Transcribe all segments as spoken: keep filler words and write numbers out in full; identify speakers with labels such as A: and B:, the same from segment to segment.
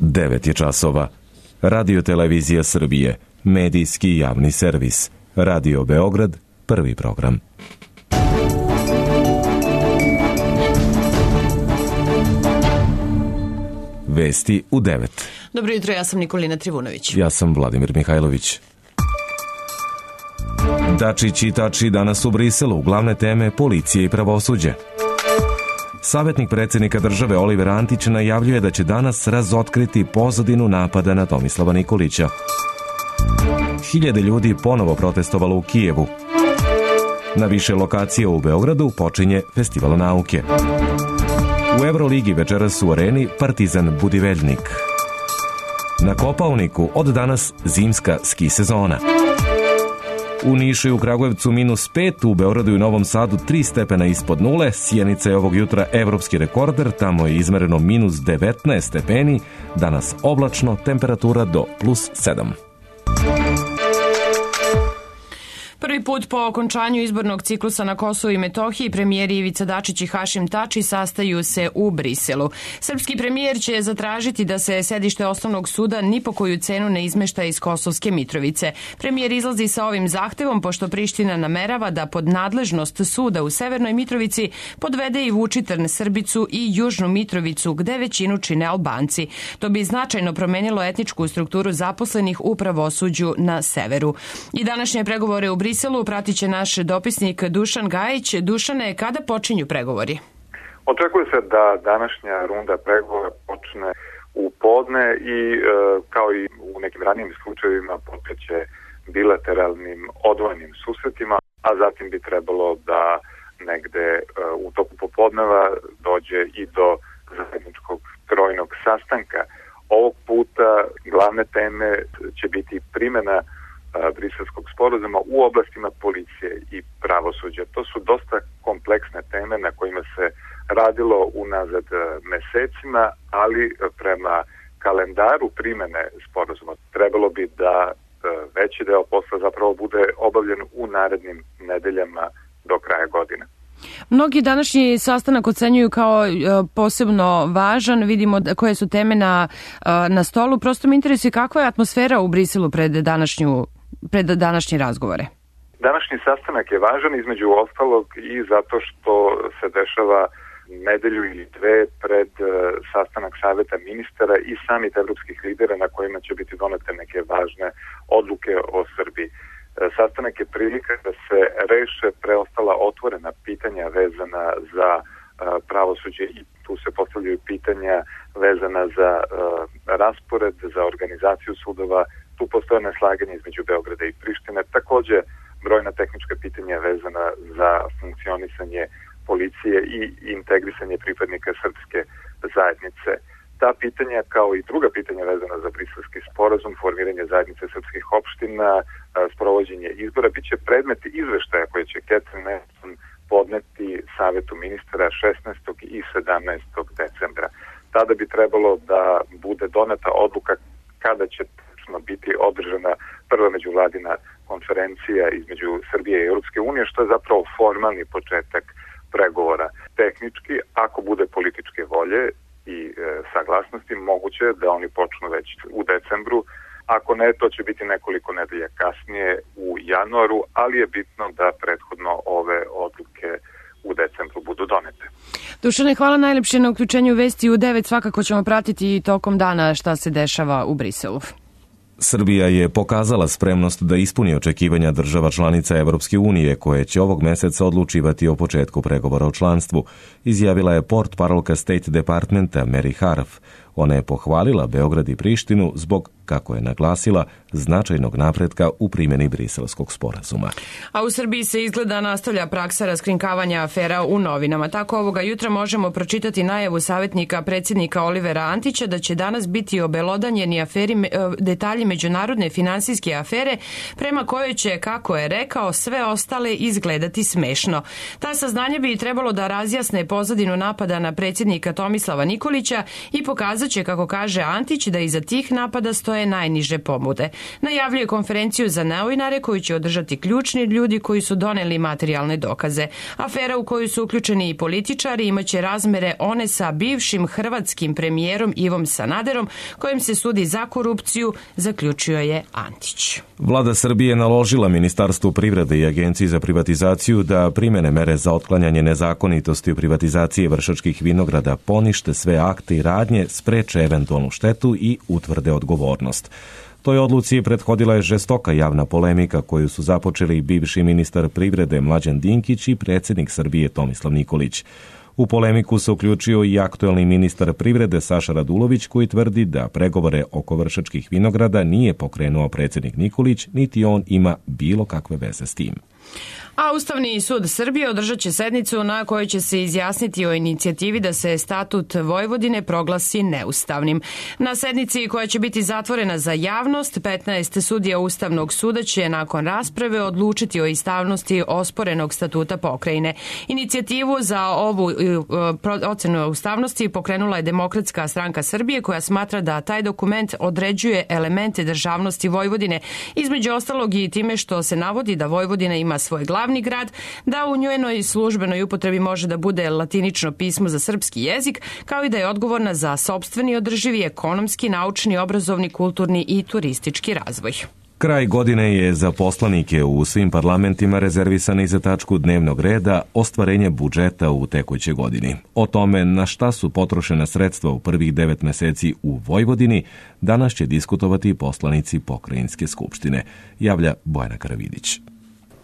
A: devet je časova. Radio Televizija Srbije, medijski javni servis. Radio Beograd, prvi program. Vesti u devet.
B: Dobro jutro, ja sam Nikolina Trivunović.
A: Ja sam Vladimir Mihajlović. Dačić i Tači danas u Briselu, glavne teme policije i pravosuđe. Savjetnik predsjednika države Oliver Antić najavljuje da će danas razotkriti pozadinu napada na Tomislava Nikolića. Hiljade ljudi ponovo protestovalo u Kijevu. Na više lokacija u Beogradu počinje Festival nauke. U Euroligi večeras u Areni Partizan Budiveljnik. Na Kopaoniku od danas zimska ski sezona. U Nišu i u Kragujevcu minus pet, u Beogradu i Novom Sadu tri stepena ispod nule, Sjenica je ovog jutra evropski rekorder, tamo je izmereno minus devetnaest stepeni, danas oblačno, temperatura do plus sedam.
B: Prvi put po okončanju izbornog ciklusa na Kosovu i Metohiji premijeri Ivica Dačić i Hašim Tači sastaju se u Briselu. Srpski premijer će zatražiti da se sedište osnovnog suda ni po koju cenu ne izmešta iz Kosovske Mitrovice. Premijer izlazi sa ovim zahtevom pošto Priština namerava da pod nadležnost suda u Severnoj Mitrovici podvede i Vučitrn, Srbicu i Južnu Mitrovicu gde većinu čine Albanci. To bi značajno promenilo etničku strukturu zaposlenih u pravosuđu na severu. I današnje pregovore u Briselu Briselu pratit će naš dopisnik Dušan Gajić. Dušane, kada počinju pregovori?
C: Očekuje se da današnja runda pregovora počne u podne i e, kao i u nekim ranijim slučajevima počeće bilateralnim odvojenim susretima, a zatim bi trebalo da negde e, u toku popodneva dođe i do zajedničkog trojnog sastanka. Ovog puta glavne teme će biti primjena Briselskog sporazuma u oblastima policije i pravosuđa. To su dosta kompleksne teme na kojima se radilo unazad mesecima, ali prema kalendaru primjene sporazuma trebalo bi da veći deo posla zapravo bude obavljen u narednim nedeljama do kraja godine.
B: Mnogi današnji sastanak ocenjuju kao posebno važan. Vidimo koje su teme na, na stolu. Prosto me interesuje kakva je atmosfera u Briselu pred današnju pred današnje razgovore.
C: Današnji sastanak je važan između ostalog i zato što se dešava nedelju ili dve pred sastanak saveta ministara i samit evropskih lidera na kojima će biti donete neke važne odluke o Srbiji. Sastanak je prilika da se reše preostala otvorena pitanja vezana za pravosuđe i tu se postavljaju pitanja vezana za raspored, za organizaciju sudova. Tu postoje neslaganje između Beograda i Prištine, takođe brojna tehnička pitanja vezana za funkcionisanje policije i integrisanje pripadnika srpske zajednice. Ta pitanja, kao i druga pitanja vezana za Briselski sporazum, formiranje zajednice srpskih opština, sprovođenje izbora, bit će predmet izveštaja koje će Catherine Ashton podneti Savetu ministara šesnaestog i sedamnaestog decembra. Tada bi trebalo da bude doneta odluka kada će biti održana prva međuvladina konferencija između Srbije i Europske unije, što je zapravo formalni početak pregovora. Tehnički, ako bude političke volje i e, saglasnosti, moguće da oni počnu već u decembru. Ako ne, to će biti nekoliko nedelja kasnije u januaru, ali je bitno da prethodno ove odluke u decembru budu donete.
B: Dušane, hvala najlepše na uključenju Vesti u devet. Svakako ćemo pratiti tokom dana šta se dešava u Briselu.
A: Srbija je pokazala spremnost da ispuni očekivanja država članica Evropske unije koje će ovog meseca odlučivati o početku pregovora o članstvu, izjavila je portparolka State Departmenta Mary Harf. Ona je pohvalila Beograd i Prištinu zbog, kako je naglasila, značajnog napretka u primjeni Briselskog sporazuma.
B: A u Srbiji se izgleda nastavlja praksa raskrinkavanja afera u novinama. Tako ovoga jutra možemo pročitati najavu savjetnika predsjednika Olivera Antića da će danas biti obelodanjeni aferi, detalji međunarodne finansijske afere prema kojoj će, kako je rekao, sve ostale izgledati smešno. Ta saznanja bi trebalo da razjasne pozadinu napada na predsjednika Tomislava Nikolića i pokazat će, kako kaže Antić, da iza tih napada stoje svoje najniže ponude. Najavljuje konferenciju za novinare koju će održati ključni ljudi koji su doneli materijalne dokaze. Afera u koju su uključeni i političari imaće razmere one sa bivšim hrvatskim premijerom Ivom Sanaderom, kojem se sudi za korupciju, zaključio je Antić.
A: Vlada Srbije naložila Ministarstvu privrede i Agenciji za privatizaciju da primene mere za otklanjanje nezakonitosti u privatizaciji Vršačkih vinograda, ponište sve akte i radnje, spreče eventualnu štetu i utvrde odgovornost. Toj odluci prethodila je žestoka javna polemika koju su započeli bivši ministar privrede Mlađan Dinkić i predsjednik Srbije Tomislav Nikolić. U polemiku se uključio i aktuelni ministar privrede Saša Radulović, koji tvrdi da pregovore oko Vršačkih vinograda nije pokrenuo predsjednik Nikolić, niti on ima bilo kakve veze s tim.
B: A Ustavni sud Srbije održat će sednicu na kojoj će se izjasniti o inicijativi da se statut Vojvodine proglasi neustavnim. Na sednici koja će biti zatvorena za javnost, petnaest sudija Ustavnog suda će nakon rasprave odlučiti o ustavnosti osporenog statuta pokrajine. Inicijativu za ovu ocenu ustavnosti pokrenula je Demokratska stranka Srbije, koja smatra da taj dokument određuje elemente državnosti Vojvodine, između ostalog i time što se navodi da Vojvodina ima svoj glavni grad, da u njenoj službenoj upotrebi može da bude latinično pismo za srpski jezik, kao i da je odgovorna za sopstveni održivi ekonomski, naučni, obrazovni, kulturni i turistički razvoj.
A: Kraj godine je za poslanike u svim parlamentima rezervisan i za tačku dnevnog reda ostvarenje budžeta u tekućoj godini. O tome na šta su potrošena sredstva u prvih devet meseci u Vojvodini danas će diskutovati poslanici Pokrajinske skupštine, javlja Bojana Karavidić.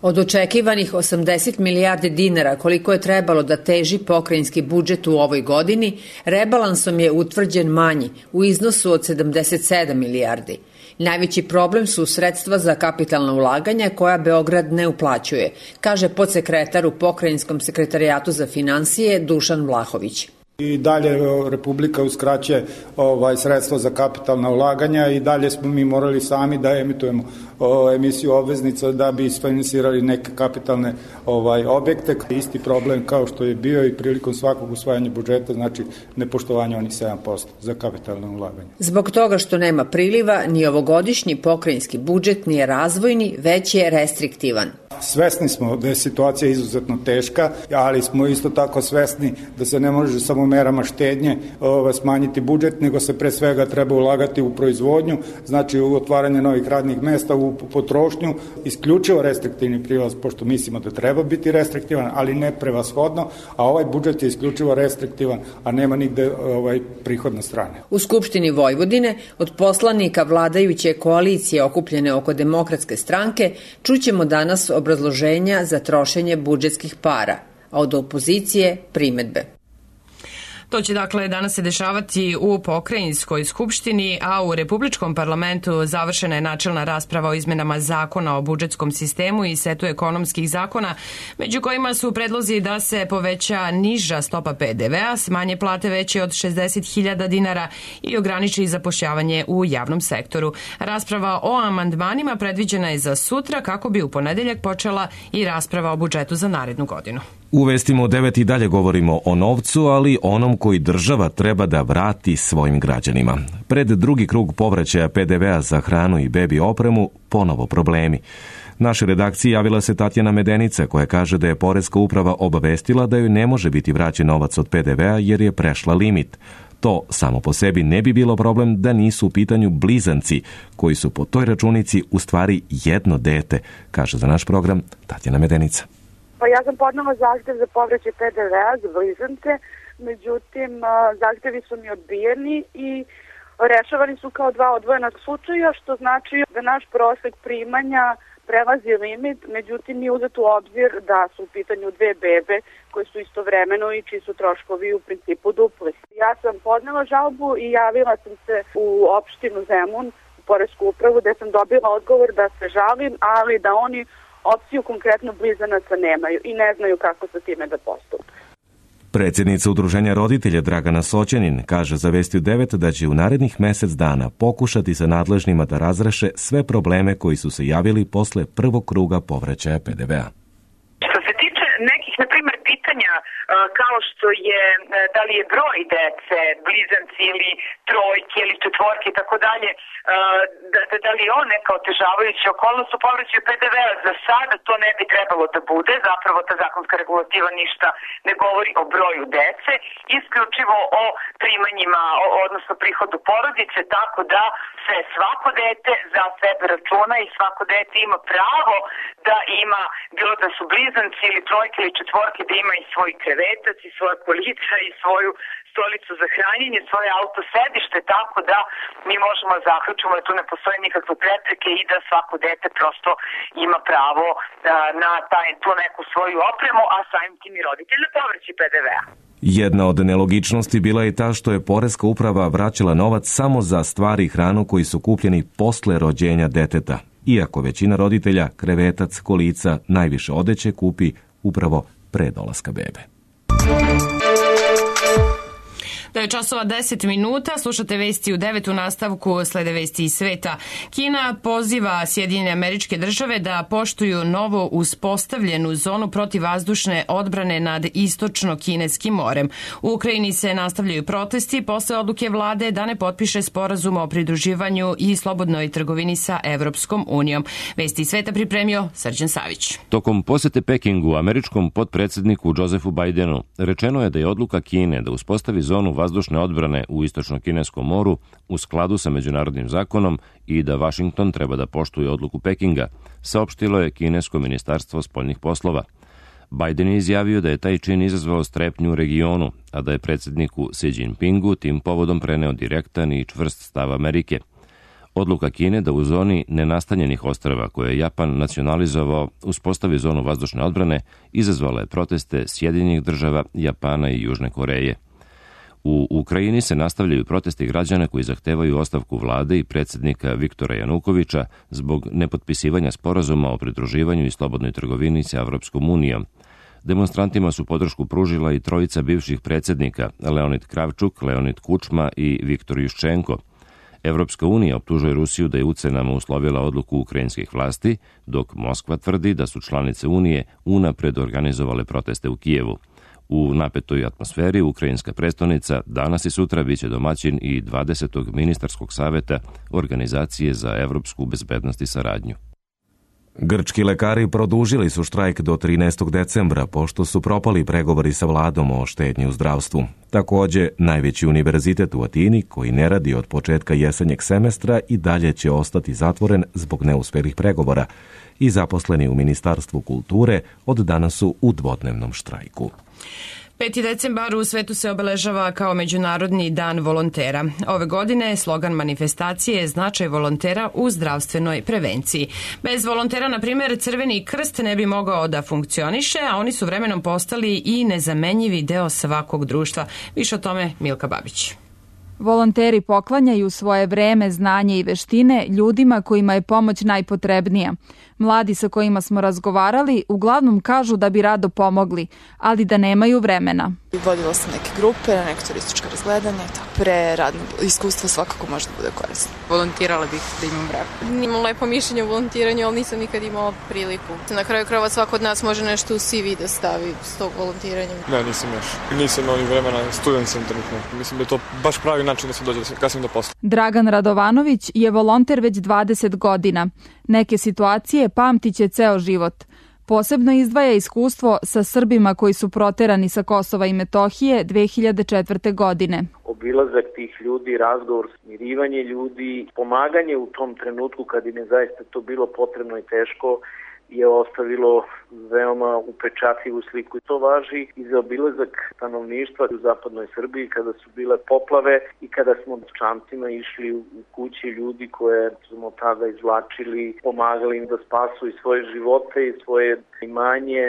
D: Od očekivanih osamdeset milijardi dinara koliko je trebalo da teži pokrajinski budžet u ovoj godini, rebalansom je utvrđen manji u iznosu od sedamdeset sedam milijardi. Najveći problem su sredstva za kapitalna ulaganja koja Beograd ne uplaćuje, kaže podsekretar u Pokrajinskom sekretarijatu za finansije Dušan Vlahović.
E: I dalje Republika uskraćuje ovaj, sredstva za kapitalna ulaganja i dalje smo mi morali sami da emitujemo o, emisiju obveznica da bi isfinansirali neke kapitalne ovaj, objekte. Isti problem kao što je bio i prilikom svakog usvajanja budžeta, znači nepoštovanje onih sedam posto za kapitalne ulaganja.
D: Zbog toga što nema priliva, ni ovogodišnji pokrajinski budžet nije razvojni, već je restriktivan.
E: Svesni smo da je situacija izuzetno teška, ali smo isto tako svesni da se ne može samo merama štednje o, smanjiti budžet, nego se pre svega treba ulagati u proizvodnju, znači u otvaranje novih radnih mesta, u potrošnju, isključivo restriktivni prilaz, pošto mislimo da treba biti restriktivan, ali ne prevashodno, a ovaj budžet je isključivo restriktivan, a nema nigde ovaj, prihodne strane.
D: U Skupštini Vojvodine od poslanika vladajuće koalicije okupljene oko Demokratske stranke čućemo danas obrazloženja za trošenje budžetskih para, a od opozicije primedbe.
B: To će dakle danas se dešavati u Pokrajinskoj skupštini, a u Republičkom parlamentu završena je načelna rasprava o izmenama zakona o budžetskom sistemu i setu ekonomskih zakona, među kojima su predlozi da se poveća niža stopa pe de vea, smanje plate veće od šezdeset hiljada dinara i ograniči zapošljavanje u javnom sektoru. Rasprava o amandmanima predviđena je za sutra, kako bi u ponedeljak počela i rasprava o budžetu za narednu godinu.
A: U Vestima devet i dalje govorimo o novcu, ali onom koji država treba da vrati svojim građanima. Pred drugi krug povraćaja pe de vea za hranu i bebi opremu ponovo problemi. Našoj redakciji javila se Tatjana Medenica, koja kaže da je Poreska uprava obavestila da joj ne može biti vraćen novac od pe de vea jer je prešla limit. To samo po sebi ne bi bilo problem da nisu u pitanju blizanci, koji su po toj računici u stvari jedno dete, kaže za naš program Tatjana Medenica.
F: Pa ja sam podnela zahtev za povraćaj pe de vea za blizance, međutim zahtevi su mi odbijeni i rešavani su kao dva odvojena slučaja, što znači da naš prosek primanja prelazi limit, međutim nije uzet u obzir da su u pitanju dve bebe koje su istovremeno i čiji su troškovi u principu dupli. Ja sam podnela žalbu i javila sam se u opštinu Zemun, u Poresku upravu, gde sam dobila odgovor da se žalim, ali da oni opciju konkretno blizanaca nemaju i ne znaju kako sa time da postupe.
A: Predsjednica Udruženja roditelja Dragana Soćanin kaže za Vesti devet da će u narednih mesec dana pokušati sa nadležnima da razreše sve probleme koji su se javili posle prvog kruga povraćaja pe de vea.
G: Što se tiče nekih, na primjer, pitanja kao što je da li je broj dece, blizanci ili trojke ili četvorke i tako dalje, da, da, da li je on neka otežavajuća okolnost u povraćaju pe de vea. Za sada to ne bi trebalo da bude, zapravo ta zakonska regulativa ništa ne govori o broju dece, isključivo o primanjima, odnosno prihodu porodice, tako da se svako dete za sebe računa i svako dete ima pravo da ima, bilo da su blizanci ili trojke ili četvorke, da ima i svoj krevetac i svoje kolica i svoju stolicu za hranjenje, svoje auto sedište, tako da mi možemo zaključiti da tu ne postoje nikakve prepreke i da svako dete prosto ima pravo na taj, tu neku svoju opremu, a samim tim i roditelj na povraćaj pe de vea.
A: Jedna od nelogičnosti bila je ta što je Poreska uprava vraćala novac samo za stvari i hranu koji su kupljeni posle rođenja deteta, iako većina roditelja krevetac, kolica, najviše odeće kupi upravo pre dolaska bebe.
B: Da je časova deset minuta, slušate vesti u devet, u nastavku slede vesti iz sveta. Kina poziva Sjedinjene Američke Države da poštuju novo uspostavljenu zonu protivvazdušne odbrane nad istočno-kineskim morem. U Ukrajini se nastavljaju protesti posle odluke vlade da ne potpiše sporazum o pridruživanju i slobodnoj trgovini sa Evropskom unijom. Vesti iz sveta pripremio Srđan Savić.
H: Tokom posete Pekingu američkom potpredsedniku Josefu Bidenu rečeno je da je odluka Kine da uspostavi zonu vazdušne odbrane u istočno-kineskom moru u skladu sa međunarodnim zakonom i da Vašington treba da poštuje odluku Pekinga, saopštilo je kinesko ministarstvo spoljnih poslova. Biden je izjavio da je taj čin izazvao strepnju u regionu, a da je predsjedniku Xi Jinpingu tim povodom preneo direktan i čvrst stav Amerike. Odluka Kine da u zoni nenastanjenih ostrava koje je Japan nacionalizovao uspostavi zonu vazdušne odbrane izazvala je proteste Sjedinjenih država, Japana i Južne Koreje. U Ukrajini se nastavljaju protesti građana koji zahtevaju ostavku vlade i predsjednika Viktora Janukovića zbog nepotpisivanja sporazuma o pridruživanju i slobodnoj trgovini sa Evropskom unijom. Demonstrantima su podršku pružila i trojica bivših predsjednika, Leonid Kravčuk, Leonid Kučma i Viktor Juščenko. Evropska unija optužuje Rusiju da je ucenama uslovila odluku ukrajinskih vlasti, dok Moskva tvrdi da su članice Unije unapred organizovale proteste u Kijevu. U napetoj atmosferi ukrajinska prestonica danas i sutra biće domaćin i dvadesetog ministarskog saveta Organizacije za evropsku bezbednost i saradnju.
A: Grčki lekari produžili su štrajk do trinaestog decembra, pošto su propali pregovori sa vladom o štednji u zdravstvu. Takođe, najveći univerzitet u Atini, koji ne radi od početka jesenjeg semestra, i dalje će ostati zatvoren zbog neuspelih pregovora i zaposleni u Ministarstvu kulture od danas su u dvodnevnom štrajku.
B: peti decembar u svetu se obeležava kao Međunarodni dan volontera. Ove godine slogan manifestacije je značaj volontera u zdravstvenoj prevenciji. Bez volontera, na primjer, Crveni krst ne bi mogao da funkcioniše, a oni su vremenom postali i nezamenjivi deo svakog društva. Više o tome Milka Babić.
I: Volonteri poklanjaju svoje vreme, znanje i veštine ljudima kojima je pomoć najpotrebnija. Mladi sa kojima smo razgovarali uglavnom kažu da bi rado pomogli, ali da nemaju vremena.
J: Vodila sam neke grupe, neke turističke razgledanja, pre radno iskustvo svakako može da bude korisno.
K: Volontirala bih da imam vremena. Imam lepo mišljenje o volontiranju, ali nisam nikad imala priliku. Na kraju krajeva svako od nas može nešto u C V da stavi s tog volontiranja.
L: Ne, nisam još. Nisam imao ni vremena, student sam trenutno. Mislim da je to baš pravi način da se dođe kasnije do posla.
I: Dragan Radovanović je volonter već dvadeset godina. Neke situacije pamtiće ceo život. Posebno izdvaja iskustvo sa Srbima koji su proterani sa Kosova i Metohije dve hiljade četvrte. godine.
M: Obilazak tih ljudi, razgovor, smirivanje ljudi, pomaganje u tom trenutku kad im je zaista to bilo potrebno i teško, je ostavilo veoma upečatljivu sliku. I to važi i za obilazak stanovništva u zapadnoj Srbiji kada su bile poplave i kada smo čamcima išli u kući ljudi koje smo tada izvlačili, pomagali im da spasu i svoje živote i svoje imanje.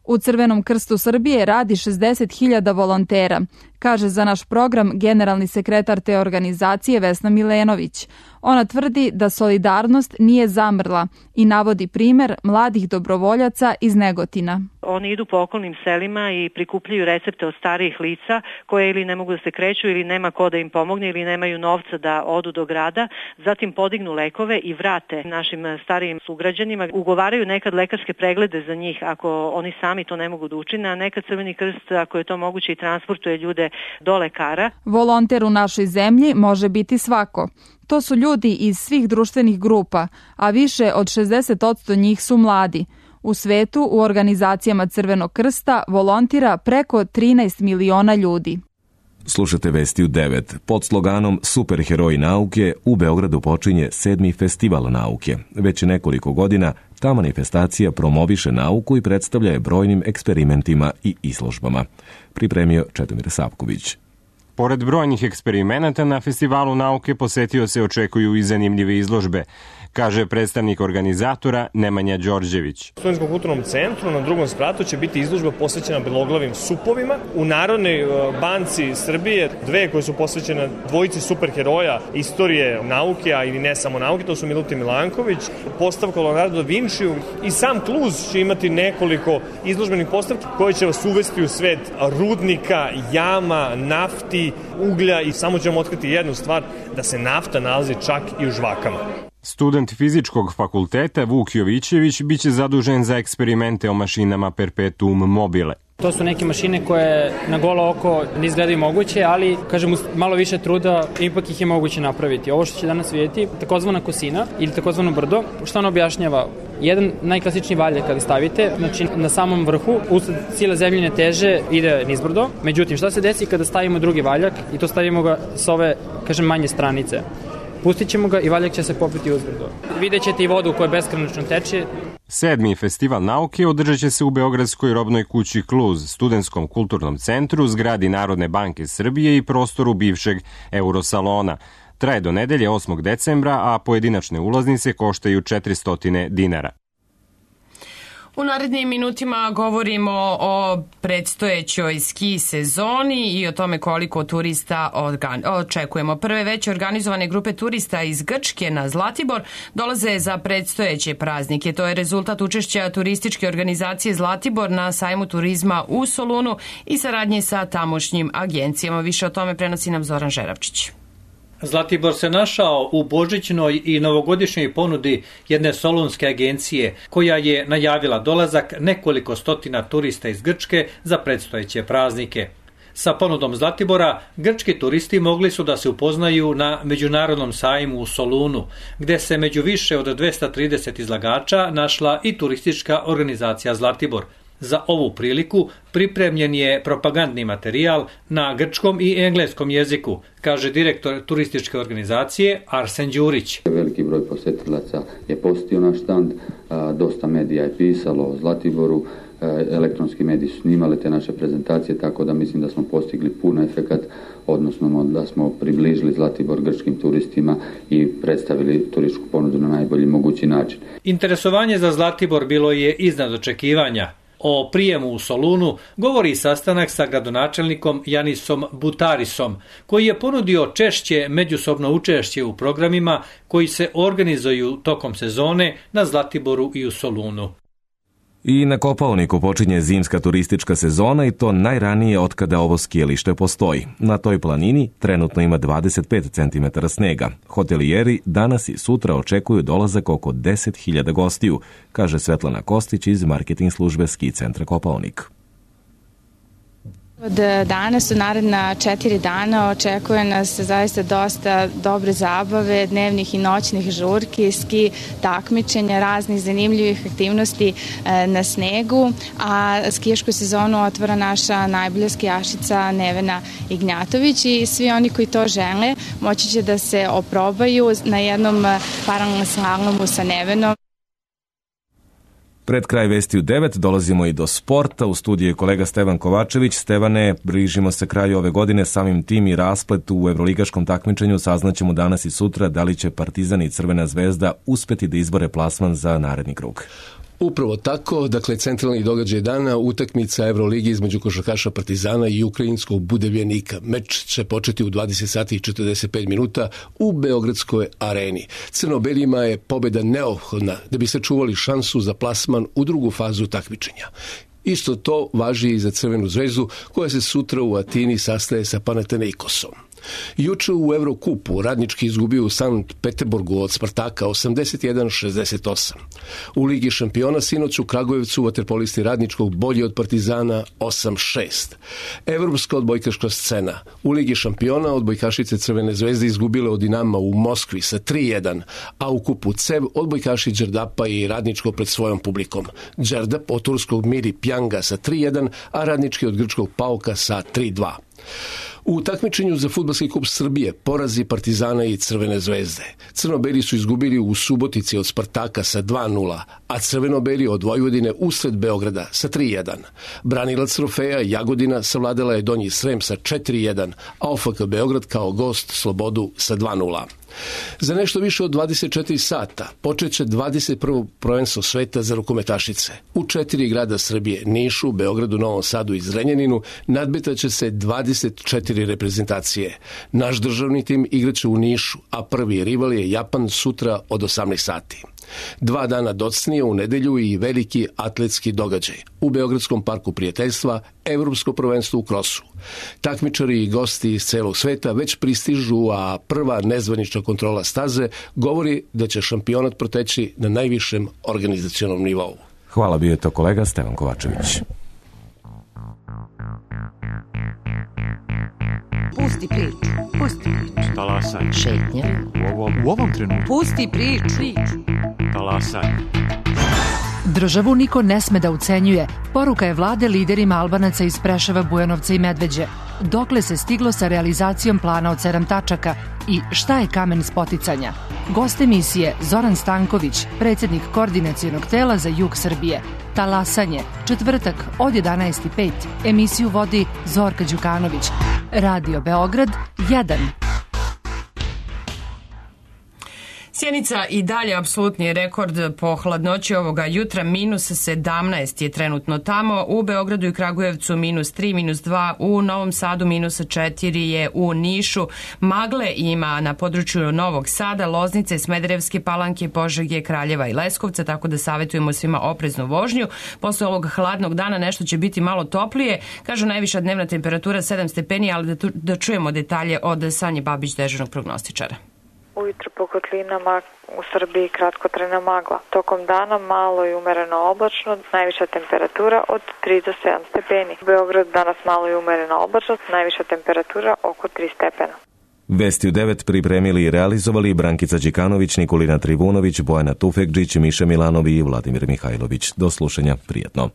I: U Crvenom krstu Srbije radi šezdeset hiljada volontera, kaže za naš program generalni sekretar te organizacije Vesna Milenović. Ona tvrdi da solidarnost nije zamrla i navodi primer mladih dobrovoljaca iz Negotina.
N: Oni idu po okolnim selima i prikupljaju recepte od starijih lica koje ili ne mogu da se kreću ili nema ko da im pomogne ili nemaju novca da odu do grada, zatim podignu lekove i vrate našim starijim sugrađanima. Ugovaraju nekad lekarske preglede za njih ako oni sami to ne mogu da učine, a nekad Crveni krst, ako je to moguće, i transportuje ljude do lekara.
I: Volonter u našoj zemlji može biti svako. To su ljudi iz svih društvenih grupa, a više od šezdeset posto njih su mladi. U svetu u organizacijama Crvenog krsta volontira preko trinaest miliona ljudi.
A: Slušate Vesti u devet. Pod sloganom Superheroji nauke u Beogradu počinje sedmi festival nauke. Već nekoliko godina ta manifestacija promoviše nauku i predstavlja je brojnim eksperimentima i izložbama. Pripremio Čedomir Savković.
O: Pored brojnih eksperimenata na festivalu nauke posetio se očekuju i zanimljive izložbe, kaže predstavnik organizatora Nemanja Đorđević.
P: U Studentskom kulturnom centru na drugom spratu će biti izložba posvećena beloglavim supovima. U Narodnoj banci Srbije dve koje su posvećene dvojici superheroja istorije nauke, a i ne samo nauke, to su Milutin Milanković, postavka Leonardo da Vinčiju i sam Kluz će imati nekoliko izložbenih postavki koje će vas uvesti u svet rudnika, jama, nafti, uglja i samo ćemo otkriti jednu stvar, da se nafta nalazi čak i u žvakama.
O: Student fizičkog fakulteta Vuk Jovićević biće zadužen za eksperimente o mašinama Perpetuum mobile.
Q: To su neke mašine koje na golo oko ne izgledaju moguće, ali, kažem, uz malo više truda ipak ih je moguće napraviti. Ovo što će danas vidjeti, takozvana kosina ili takozvano brdo, što ona objašnjava? Jedan najklasičniji valjak kada stavite, znači na samom vrhu, usled sile zemljine teže ide nizbrdo. Međutim, šta se desi kada stavimo drugi valjak i to stavimo ga s ove, kažem, manje stranice? Pustit ćemo ga i valjak će se popiti uzbrdo. Vidjet ćete i vodu koja beskrajno teče.
O: Sedmi festival nauke održat će se u Beogradskoj robnoj kući Kluz, Studentskom kulturnom centru, zgradi Narodne banke Srbije i prostoru bivšeg Eurosalona. Traje do nedelje osmog decembra, a pojedinačne ulaznice koštaju četiristo dinara.
B: U narednim minutima govorimo o predstojećoj ski sezoni i o tome koliko turista očekujemo. Prve već organizovane grupe turista iz Grčke na Zlatibor dolaze za predstojeće praznike. To je rezultat učešća turističke organizacije Zlatibor na sajmu turizma u Solunu i saradnje sa tamošnjim agencijama. Više o tome prenosi nam Zoran Žeravčić.
R: Zlatibor se našao u božićnoj i novogodišnjoj ponudi jedne solunske agencije koja je najavila dolazak nekoliko stotina turista iz Grčke za predstojeće praznike. Sa ponudom Zlatibora, grčki turisti mogli su da se upoznaju na Međunarodnom sajmu u Solunu, gde se među više od dvesta trideset izlagača našla i turistička organizacija Zlatibor. Za ovu priliku pripremljen je propagandni materijal na grčkom i engleskom jeziku, kaže direktor turističke organizacije Arsen Đurić.
S: Veliki broj posetilaca je posjetio naš štand, dosta medija je pisalo o Zlatiboru, elektronski mediji su snimali te naše prezentacije, tako da mislim da smo postigli puno efekat, odnosno da smo približili Zlatibor grčkim turistima i predstavili turističku ponudu na najbolji mogući način.
R: Interesovanje za Zlatibor bilo je iznad očekivanja. O prijemu u Solunu govori sastanak sa gradonačelnikom Janisom Butarisom, koji je ponudio češće međusobno učešće u programima koji se organizuju tokom sezone na Zlatiboru i u Solunu.
A: I na Kopaoniku počinje zimska turistička sezona i to najranije otkada ovo skijalište postoji. Na toj planini trenutno ima dvadeset pet centimetara snega. Hotelijeri danas i sutra očekuju dolazak oko deset hiljada gostiju, kaže Svetlana Kostić iz marketing službe ski centra Kopaonik.
T: Od danas do naredna četiri dana očekuje nas zaista dosta dobre zabave, dnevnih i noćnih žurki, ski takmičenja, raznih zanimljivih aktivnosti na snegu, a skijašku sezonu otvara naša najbolja skijašica Nevena Ignjatović i svi oni koji to žele moći će da se oprobaju na jednom paralelnom slalomu sa Nevenom.
A: Pred kraj Vesti u devet dolazimo i do sporta. U studiju je kolega Stevan Kovačević. Stevane, bližimo se kraju ove godine, samim tim i rasplet u evroligaškom takmičenju. Saznaćemo danas i sutra da li će Partizan i Crvena zvezda uspeti da izbore plasman za naredni krug.
U: Upravo tako, dakle, centralni događaj dana, utakmica Evroligi između košarkaša Partizana i ukrajinskog Budevljenika. Meč će početi u dvadeset sati i četrdeset pet minuta u Beogradskoj areni. Crno-belima je pobjeda neophodna da bi sačuvali šansu za plasman u drugu fazu takmičenja. Isto to važi i za Crvenu zvezdu, koja se sutra u Atini sastaje sa Panathinaikosom. Juče u Evrokupu Radnički izgubio u Sankt Peterburgu od Spartaka osamdeset jedan šezdeset osam. U Ligi šampiona sinoć u Kragujevcu vaterpolisti Radničkog bolji od Partizana osam šest. Evropska odbojkaška scena. U Ligi šampiona odbojkašice Crvene zvezde izgubile od Dinama u Moskvi sa tri jedan, a u kupu CEV odbojkaši Đerdapa i Radničko pred svojom publikom. Đerdap od turskog Miri Pjanga sa tri jedan, a Radnički od grčkog Pauka sa tri dva. U takmičenju za Fudbalski kup Srbije porazi Partizana i Crvene zvezde. Crno-beli su izgubili u Subotici od Spartaka sa dva nula, a crveno-beli od Vojvodine usred Beograda sa tri jedan. Branilac trofeja Jagodina savladala je Donji Srem sa četiri jedan, a O F K Beograd kao gost Slobodu sa dva nula. Za nešto više od dvadeset četiri sata počeće dvadeset prvo prvenstvo sveta za rukometašice. U četiri grada Srbije, Nišu, Beogradu, Novom Sadu i Zrenjaninu, nadmetaće se dvadeset četiri reprezentacije. Naš državni tim igraće u Nišu, a prvi rival je Japan sutra od osamnaest sati. Dva dana docnije u nedelju i veliki atletski događaj. U Beogradskom parku prijateljstva Evropsko prvenstvo u krosu. Takmičari i gosti iz celog sveta već pristižu, a prva nezvanična kontrola staze govori da će šampionat proteći na najvišem organizacionom nivou.
A: Hvala, bio je to kolega Stevan Kovačević.
V: Pusti priču, pusti priču.
W: Talasaj.
V: Šetnja.
W: U ovom, u ovom trenutku.
V: Pusti priču.
W: Talasaj.
V: Državu niko ne sme da ucenjuje. Poruka je vlade liderima Albanaca iz Preševa, Bujanovca i Medveđe. Dokle se stiglo sa realizacijom plana od sedam tačaka i šta je kamen spoticanja? Gost emisije Zoran Stanković, predsjednik koordinacionog tela za jug Srbije. Talasanje, četvrtak od jedanaest i pet. Emisiju vodi Zorka Đukanović. Radio Beograd jedan.
B: Sjenica i dalje apsolutni rekord po hladnoći ovoga jutra, minus sedamnaest je trenutno tamo, u Beogradu i Kragujevcu minus tri, minus dva, u Novom Sadu minus četiri je u Nišu, magle ima na području Novog Sada, Loznice, Smederevske Palanke, Požege, Kraljeva i Leskovca, tako da savjetujemo svima opreznu vožnju. Posle ovog hladnog dana nešto će biti malo toplije, kažu najviša dnevna temperatura sedam stepeni, ali da, tu, da čujemo detalje od Sanje Babić, dežurnog prognostičara.
X: Ujutro po kotlinama u Srbiji kratkotrajna magla. Tokom dana malo i umereno oblačno, najviša temperatura od tri do sedam stepeni. U Beogradu danas malo i umereno oblačno, najviša temperatura oko tri stepena.
A: Vesti u devet pripremili i realizovali Brankica Đikanović, Nikolina Trivunović, Bojana Tufekđić, Miša Milanovi i Vladimir Mihajlović. Do slušanja, prijetno.